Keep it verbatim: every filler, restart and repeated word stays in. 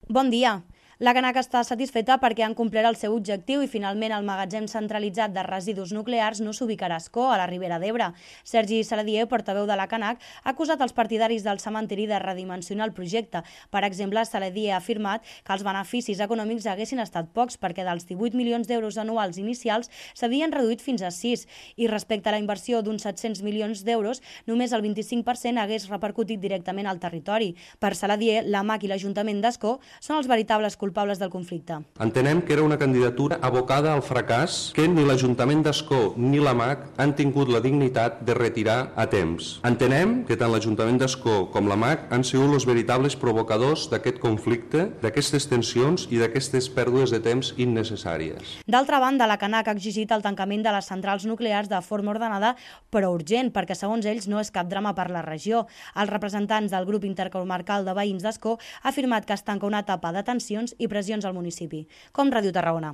Bon dia. La Canac està satisfeta perquè han complert el seu objectiu i finalment el magatzem centralitzat de residus nuclears no s'ubicarà a Ascó, a la Ribera d'Ebre. Sergi Saladier, portaveu de la Canac, ha acusat els partidaris del cementiri de redimensionar el projecte. Per exemple, Saladier ha afirmat que els beneficis econòmics haguessin estat pocs perquè dels divuit milions d'euros anuals inicials s'havien reduït fins a sis i respecte a la inversió d'uns set-cents milions d'euros, només el vint-i-cinc per cent hagués repercutit directament al territori. Per Saladier, la M A C i l'Ajuntament d'Ascó són els veritables culpables del conflicte. Entenem que era una candidatura abocada al fracàs que ni l'Ajuntament d'Ascó ni la M A C han tingut la dignitat de retirar a temps. Entenem que tant l'Ajuntament d'Ascó com la M A C han sigut els veritables provocadors d'aquest conflicte, d'aquestes tensions i d'aquestes pèrdues de temps innecessàries. D'altra banda, la Canac ha exigit el tancament de les centrals nuclears de forma ordenada però urgent, perquè segons ells no és cap drama per la regió. Els representants del grup intercomarcal de veïns d'Ascó ha afirmat que es tanca una etapa de tensions i pressions al municipi. Com Ràdio Tarragona.